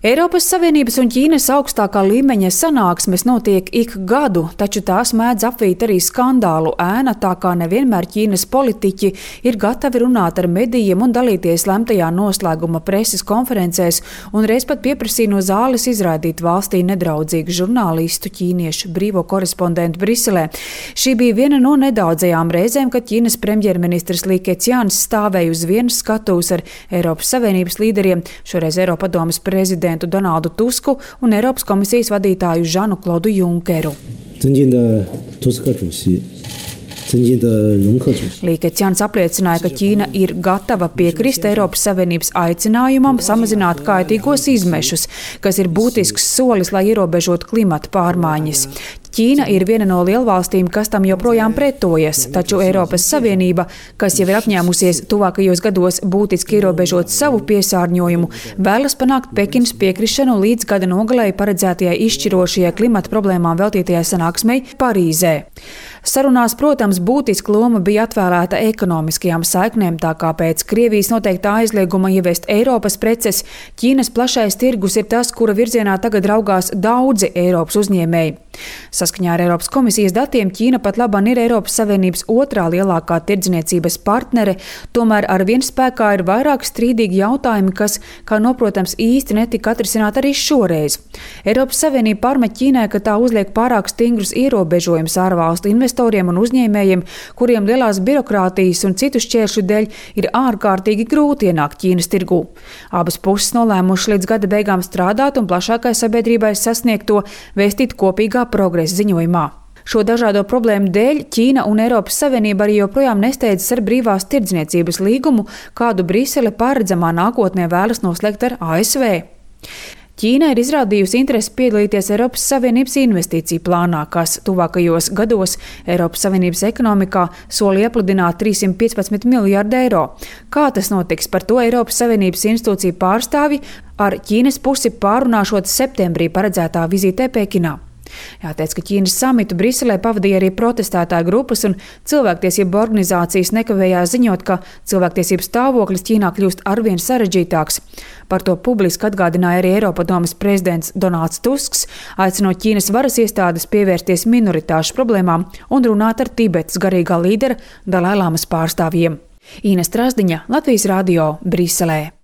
Eiropas Savienības un Ķīnas augstākā līmeņa sanāksmes notiek ik gadu, taču tās mēdz apvīt arī skandālu ēna, tā kā nevienmēr Ķīnas politiķi ir gatavi runāt ar medijiem un dalīties lemtajā noslēguma preses konferencēs, un reiz pat pieprasīja no zāles izraidīt valstī nedraudzīgu žurnālistu ķīniešu brīvo korespondentu Briselē. Šī bija viena no nedaudzajām reizēm, kad Ķīnas premjerministrs Li Keqians stāvēja uz vienas skatuves ar Eiropas Savienības līderiem, šoreiz Eiropadomes prezidentu Donaldu Tusku un Eiropas komisijas vadītāju Žanu Klodu Junkeru. Li Keqians apliecināja, ka Ķīna ir gatava piekrist Eiropas Savienības aicinājumam samazināt kaitīgos izmešus, kas ir būtisks solis, lai ierobežotu klimata pārmaiņas. Ķīna ir viena no lielvalstīm, kas tam joprojām pretojas, taču Eiropas Savienība, kas jau ir apņēmusies tuvākajos gados būtiski ierobežot savu piesārņojumu, vēlas panākt Pekinas piekrišanu līdz gada nogalei paredzētajai izšķirošajai klimata problēmām veltītajai sanāksmei Parīzē. Sarunās, protams, būtiska loma bija atvēlēta ekonomiskajām saiknēm, tā kā pēc Krievijas noteiktā aizlieguma ieviest Eiropas preces, Ķīnas plašais tirgus ir tas, kura virzienā tagad raugās daudzi Eiropas uzņēmēji. Saskaņā ar Eiropas komisijas datiem Ķīna pat labāk ir Eiropas Savienības otrā lielākā tirdzniecības partnere, tomēr ar vien spēkā ir vairāk strīdīgi jautājumi, kas, kā noprotams, īsti netika atrisināti arī šoreiz. Eiropas Savienība pārmet Ķīnai, ka tā uzliek pārāk stingrus ierobežojumus ārvalstu investoriem un uzņēmējiem, kuriem lielās birokrātijas un citu šķēršļu dēļ ir ārkārtīgi grūti ienākt Ķīnas tirgū. Abas puses nolēmušas līdz gada beigām strādāt un plašākai sabiedrībai sasniegt to, vēstīt kopīgā progresa ziņojumā. Šo dažādo problēmu dēļ Ķīna un Eiropas Savienība arī joprojām nesteidzas ar brīvās tirdzniecības līgumu, kādu Brisele paredzamā nākotnē vēlas noslēgt ar ASV. Ķīna ir izrādījusi interesi piedalīties Eiropas Savienības investīciju plānā, kas tuvākajos gados Eiropas Savienības ekonomikā soli iepludināt 315 miljārdu eiro. Kā tas notiks, par to Eiropas Savienības institūciju pārstāvji ar Ķīnas pusi pārunāšot septembrī paredzētā vizītē Pekinā. Jāteic, ka Ķīnas samitu Briselē pavadīja arī protestētāju grupas un cilvēktiesību organizācijas nekavējās ziņot, ka cilvēktiesību stāvoklis Ķīnā kļūst arvien sarežģītāks. Par to publiski atgādināja arī Eiropadomes prezidents Donalds Tusks, aicinot Ķīnas varas iestādes pievērsties minoritāšu problēmām un runāt ar Tibetas garīgā līdera Dalai Lamas pārstāvjiem. Īna Strasdiņa, Latvijas radio, Briselē.